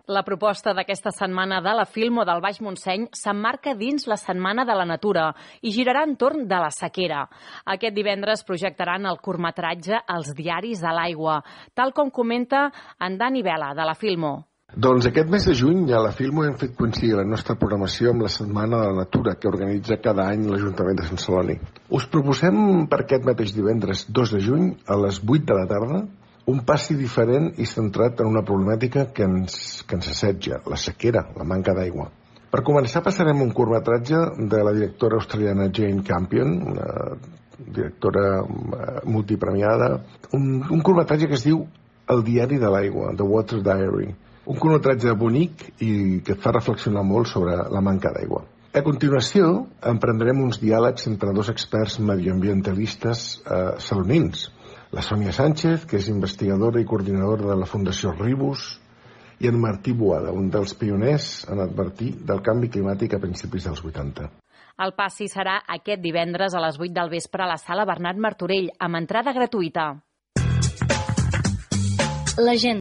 La proposta d'aquesta setmana de la Filmo del Baix Montseny s'emmarca dins la Setmana de la Natura i girarà entorn de la sequera. Aquest divendres projectaran el curtmetratge Els diaris de l'aigua, tal com comenta en Dani Vela, de la Filmo. Doncs aquest mes de juny a la Filmo hem fet coincidir la nostra programació amb la Setmana de la Natura que organitza cada any l'Ajuntament de Sant Celoni. Us proposem per aquest mateix divendres 2 de juny a les 8 de la tarda un passi diferent i centrat en una problemàtica que ens assetja, la sequera, la manca d'aigua. Per començar passarem un curtmetratge de la directora australiana Jane Campion, una directora multipremiada, un curtmetratge que es diu El diari de l'aigua, The Water Diary. Un curtmetratge bonic i que et fa reflexionar molt sobre la manca d'aigua. A continuació, emprendrem uns diàlegs entre dos experts medioambientalistes salonins. La Sònia Sánchez, que és investigadora i coordinadora de la Fundació Ribus, i en Martí Boada, un dels pioners en advertir del canvi climàtic a principis dels 80. El passi serà aquest divendres a les 8 del vespre a la Sala Bernat Martorell, amb entrada gratuïta. L'agenda.